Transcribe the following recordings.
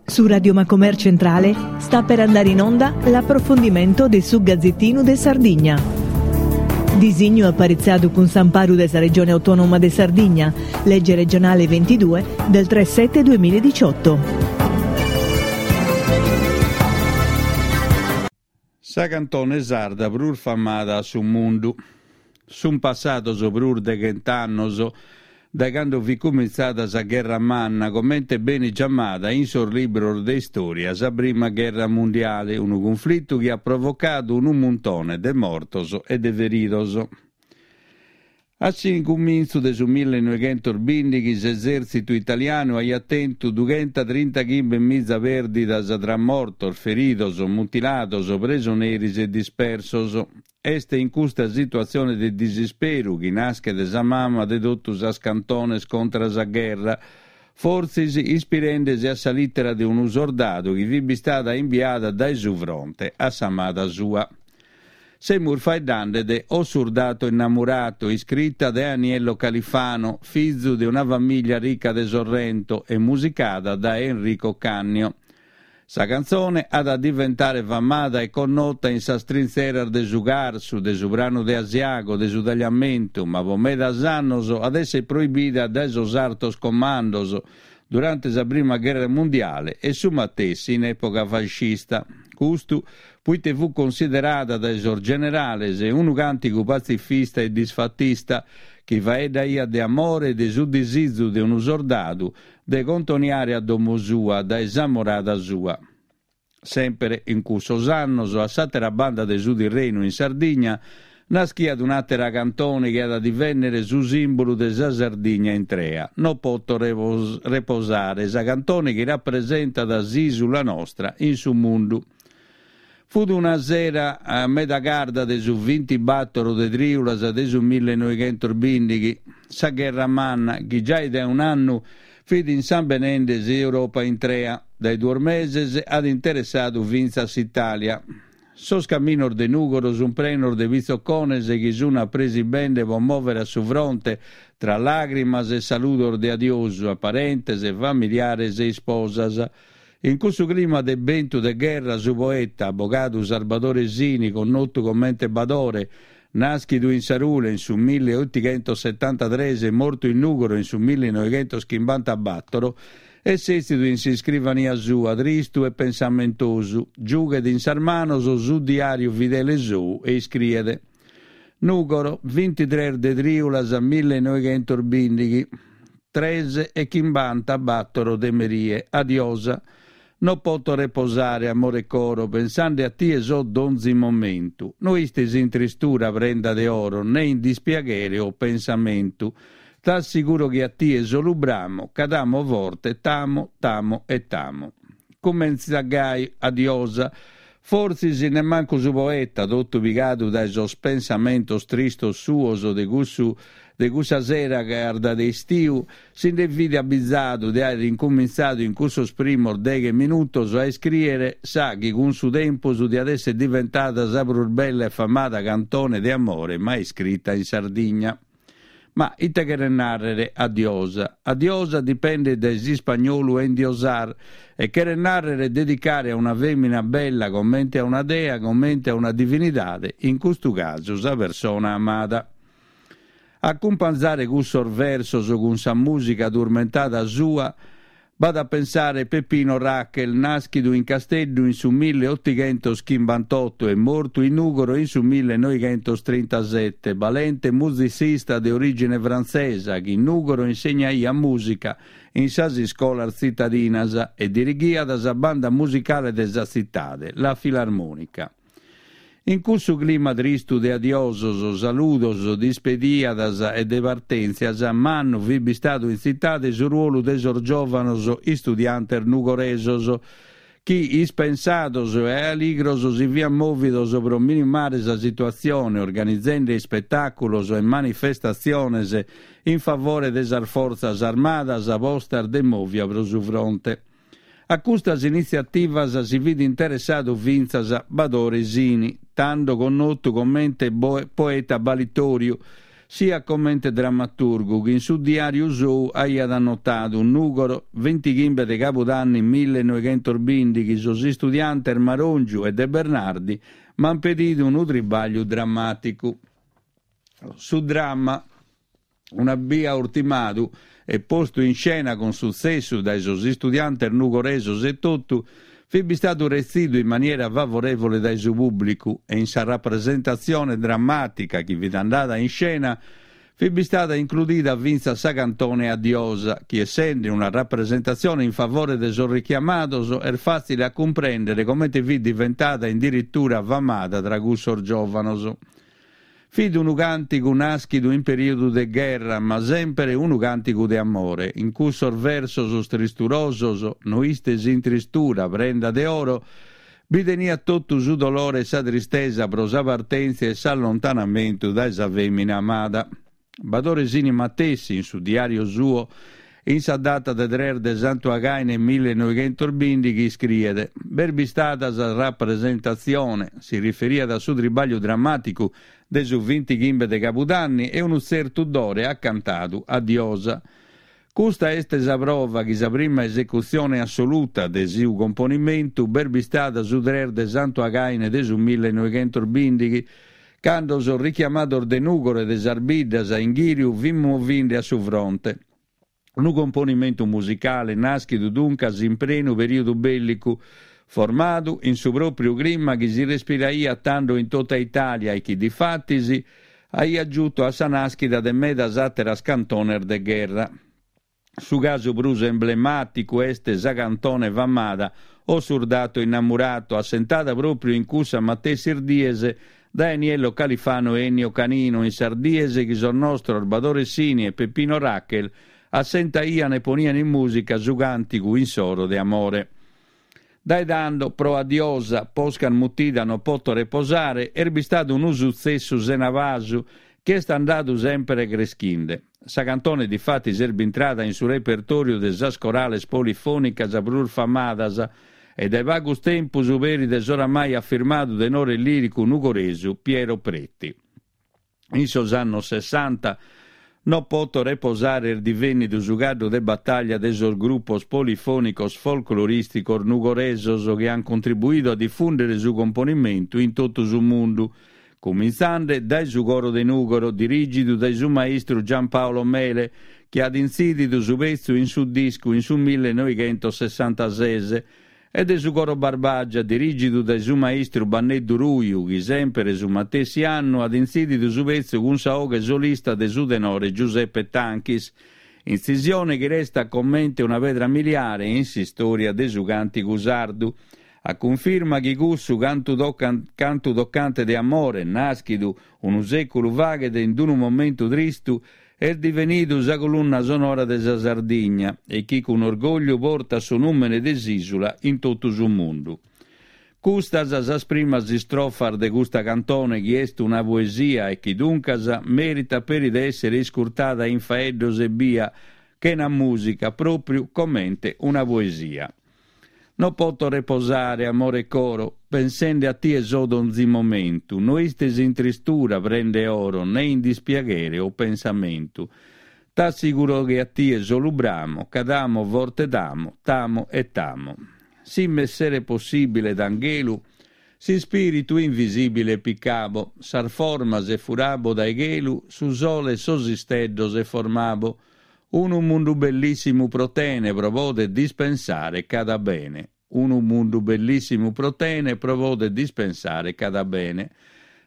Su Radio Macomer Centrale sta per andare in onda l'approfondimento de su Gazzettinu de Sardigna. Disignu aparitzadu cun s'amparu de sa Regione Autonoma de Sardigna, legge regionale 22 del 3 7 2018. Sa cantone sarda prus famada a su mundu. Sunt passados prus de chent'annos dae cando fit cumintzada sa Gherra Manna, comente benit giamada in sos libros de istòria sa Prima Gherra Mundiale, unu cunflitu chi at provocadu unu muntone de mortos e de feridos. A s'incumintzu de su millenoighentosbìndighi s'esèrtzitu italianu aiat tentu dughentatrintachimbe-miza pèrdidas tra mortos, feridos, mutilados, presoneris e dispersos. Est in custa situatzione de disisperu chi naschet sa mama de totu sas cantones contra sa gherra, fortzis ispirende-si a sa lìtera de unu sordadu chi fit bistada imbiada dae su fronte a s'amada sua. Semus faeddande de O surdato innamurato, iscrita de Aniello Califano, fizu de una famìllia rica de Sorrento e musicada dae Enrico Cannio. Sa cantzone at a diventare famada e connota in sas trintzeras de su Carsu, de su Pranu de Asiago, de su Tagliamentu, ma po medas annos at esser proibida dae sos artos comandos durante sa prima gherra mundiale e su matessi in època fascista. Custu puite fut considerada dae sos generales unu càntigu patzifista e disfatista chi faeddaiat de amore e de su disizu de unu sordadu de contoniare a domo sua dae s'amorada sua. Sèmpere in cussos annos, a s'àtera banda de su Tirrenu in Sardigna, naschiat un'àtera cantone chi at a divènnere su sìmbulu de sa Sardigna intrea, No poto reposare, sa cantone chi rapresentat s'ìsula nostra in su mundu. Fut una sera meda carda de su vintibàtoro de trìulas de su millenoighentosbìndighi, sa Gherra Manna, chi giai dae un'annu fit insambenende s'Europa intrea, dae duos meses at interessadu fintzas s'Itàlia. Sos caminos de Nùgoro sunt prenos de pitzocones chi sunt apresibende pro mòvere a su fronte tra làgrimas e saludos de adiosu a parentes, familiares e isposas. In cussu clima de bentu de gherra su poeta, abogadu Sarbadore Sini, connotu comente Badore, nàschidu in Sarule in su milliotighentosetantatres e mortu in Nùgoro in su millinoighentoschimbantabàtoro, est sètzidu in s'iscrivania sua, tristu e pensamentosu, giughet in sas manos su diàriu fidele sou e iscriet, Nùgoro, bintitres de trìulas millenoighentosbìndighi, tres e chimbantabàtoro de merie. Adiosa. No poto reposare, amore coro, pensande a tie so donzi momentu. No istes in tristura, prenda de oro, ne in dispiaghere o pensamentu. T'assiguro chi a tie solu bramo, ca t'amo forte, t'amo, t'amo e t'amo. Cumentzat gai, adiosa. Fortzis nemmancu su poeta, totu pigadu dae sos pensamentos tristos suos de cussu de cussa sera carda de istiu, si nde fit abizadu de àere incumintzadu in cussos primos deghe minutos a iscrìere sa chi cun su tempus diat èssere diventada sa prus bella e famada cantone de amore mai iscrita in Sardigna. Ma ite cheret nàrrere adiosa? Adiosa dipendet dae s'ispagnolu endiosar e cheret nàrrere dedicare a una fèmina bella comente a una dea, comente a una divinidade, in custu casu sa persona amada. Acumpanzare cussos versos cun sa mùsica turmentada sua B'at a pensare Peppino Rachel, nàschidu in Casteddu in su milliotighentoschimbantoto e mortu in Nùgoro in su millenoighentostrintasete, balente musicista de orìgine frantzesa chi in Nùgoro insegnaiat mùsica in sas iscolas tzitadinas e dirighiat sa banda musicale de sa tzitade, La Filarmonica. In cussu clima tristu de adiosos, saludos, dispediadas e de partèntzias, mannu fit bistadu in tzitade su ruolu de sos giòvanos istudiantes nugoresos, chi ispensados e aligros si fiant mòvidos pro minimare sa situatzione organizende ispetàculos e manifestatziones in favore de sas fortzas armadas postas de mòvia pro su fronte. A custas initziativas si fit interessadu fintzas Badore Sini, tando connotu comente poeta balitòriu. siat comente drammaturgu chi in su diàriu sou aiat annotadu, Nùgoro, vintighimbe de cabudanni millenoighentosbìndighi, sos istudiantes Marongiu e De Bernardi m'ant pedidu unu tribàgliu drammàticu. Su dramma, una bia urtimadu e postu in scena cun sutzessu dae sos istudiantes nugoresos etotu, fit bistadu retzidu in maniera favorèvole dae su pùblicu e in sa rapresentatzione drammàtica chi fit andada in scena fit bistada includida fintzas sa cantone Adiosa, chi essende una rapresentatzione in favore de sos richiamados est fàtzile a cumprèndere comente fit diventada in dirittura famada tra cussos giòvanos. Fit unu càntigu nàschidu in perìodu de gherra, ma sèmpere unu càntigu de amore. In cussos versos tristurosos, no istes in tristura, prenda de oro, bi teniat totu su dolore e sa tristesa pro sa partèntzia e s'allontanamentu dae sa fèmina amada. Badore Sini matessi, in su diàriu suo, in sa data de tres de Santu Againe millenoighentosbìndighi iscriet, B'est bistada sa rapresentatzione, si riferiat a su tribàgliu drammàticu de su vintighimbe de cabudanni e unu tzertu Dore at cantadu Adiosa. Custa est sa prova chi sa prima esecutzione assoluta de su componimentu b'est bistada su tres de Santu Againe de su millenoighentosbìndighi, cando sos richiamados de Nùgoro e de sas biddas a inghìriu fin movinde a su fronte. Unu componimentu musicale nàschidu duncas in prenu perìodu bèllicu, formadu in su pròpriu clima chi si respiraiat tando in tota Itàlia e chi difatis aiat giutu a sa nàschida de medas àteras cantones de gherra. Su casu prus emblemàticu est sa cantone famada O surdato innamurato, assentada pròpriu in cussas matessis dies dae Aniello Califano e Ennio Canino, in sas dies chi sos nostros Badore Sini e Peppino Rachel assentaian e ponian in mùsica su càntigu insoro de amore. Dae tando, pro Adiosa, posca mutida No poto reposare, est bistadu unu sutzessu sena pasu chi est andadu sèmpere creschinde. Sa cantone difatis est bintrada in su repertòriu de sas corales polifònicas prus famadas e dae pagus tempus peri de s'oramai afirmadu tenore lìricu nugoresu Piero Pretti. In sos annos sessanta No poto reposare est divènnidu su caddu de batàllia de sos grupos polifònicos folclorìsticos nugoresos chi ant contribuidu a difùndere su componimentu in totu su mundu, cumintzande dae su Coro de Nùgoro dirìgidu dae su maistru Giampaolo Mele chi at intzìdidu su petzu in su discu in su millenoighentosessantases e de su Coro Barbagia, dirìgidu dae su maistru Banneddu Ruiu, chi sèmpere su matessi annu at intzìdidu su petzu cun sa 'oghe solista de su tenore Giuseppe Tanchis, intzisione chi restat comente una pedra miliare in s'istòria de su càntigu sardu, a cunfirma chi cussu cantu cantu tocante de amore, nàschidu unu sèculu faghet in unu momentu tristu, Est divenidu sa colunna sonora de sa Sardigna e chi cun orgògliu portat su nùmene de s'ìsula in totu su mundu. Custas sas primas istrofas de custa cantone chi est una poesia e chi duncas meritat peri de èssere iscurtada in faeddos ebbia, chena mùsica, pròpriu comente una poesia. No poto reposare, amore 'e coro, pensende a tie so donzi momentu, no istes in tristura, prenda 'e oro, ne in dispiaghere o pensamentu. T'assiguro chi a tie solu bramo, ca t'amo forte t'amo, t'amo e t'amo. Si m'esseret possibile d'anghelu, s'ispiritu invisibile picabo, sas formas e furabo dae chelu, su sole e sos isteddos e formabo Unu mundu bellissimu pro tene pro poder dispensare cada bene Unu mundu bellissimu pro tene pro poder dispensare cada bene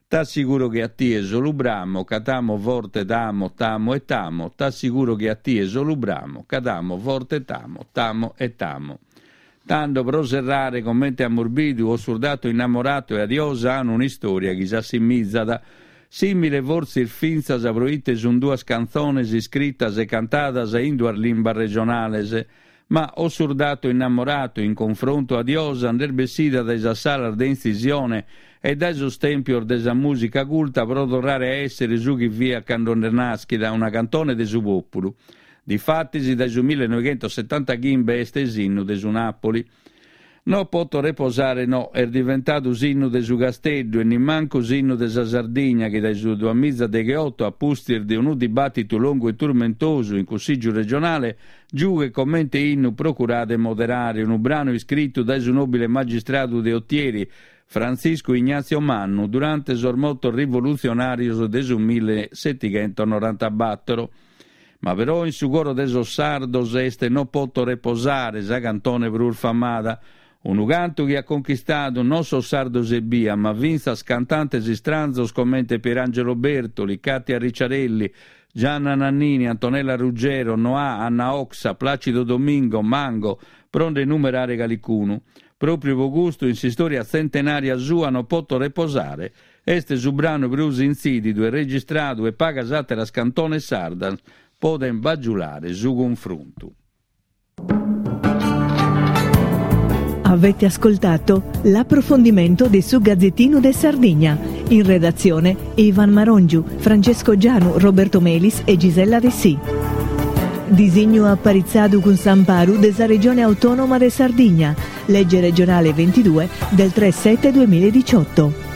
T'assiguro chi a tie solu bramo ca t'amo forte t'amo t'amo e t'amo T'assiguro chi a tie solu bramo ca t'amo forte t'amo t'amo e t'amo Tando pro serrare comente amus bidu O surdato innamorato e Adiosa an un'istoria chi s'assimizat. Simile fortzis fintzas pro ite sun duas cantzones iscritas e cantadas in duas limbas regionales. Ma O surdato innamorato in confrontu a Adiosa nd'est bessida dae sas salas de intzisione e dae sos tèmpios de sa mùsica culta pro torrare a èssere su chi fiat cando nd'est nàschida, una cantone de su pòpulu. Difatis dae su millenoighentosetantachimbe est s'innu de su Napoli. No poto reposare no est diventadu s'innu de su Casteddu e nimmancu s'innu de sa Sardigna chi dae su duamizadegheoto a pustis de unu dibàtitu longu e turmentosu in Cussìgiu regionale giughet comente innu Procurade 'e moderare unu branu iscritu dae su nòbile magistradu de Otieri Frantziscu Ignazio Mannu durante sos motos rivolutzionàrios de su millesetighentonorantabàtoro. Ma però in su coro de sos sardos est No poto reposare sa cantone prus famada, unu cantu chi at conchistadu non sos sardos ebbia, ma fintzas cantantes istranzos comente Pierangelo Bertoli, Katia Ricciarelli, Gianna Nannini, Antonella Ruggiero, Noà, Anna Oxa, Placido Domingo, Mango, pro nde numerare calicunu. Pròpriu pro custu in s'istòria tzentenària sua No poto reposare Est su branu prus intzìdidu e registradu e pagas àteras cantones sardas podent bagiulare su cunfruntu. Avete ascoltato l'approfondimento de su Gazzettinu de Sardigna. In redazione Ivan Marongiu, Francesco Gianu, Roberto Melis e Gisella Dessì. Disignu aparitzadu cun s'amparu de sa Regione Autònoma de Sardigna, Legge regionale 22 del 3 7 2018.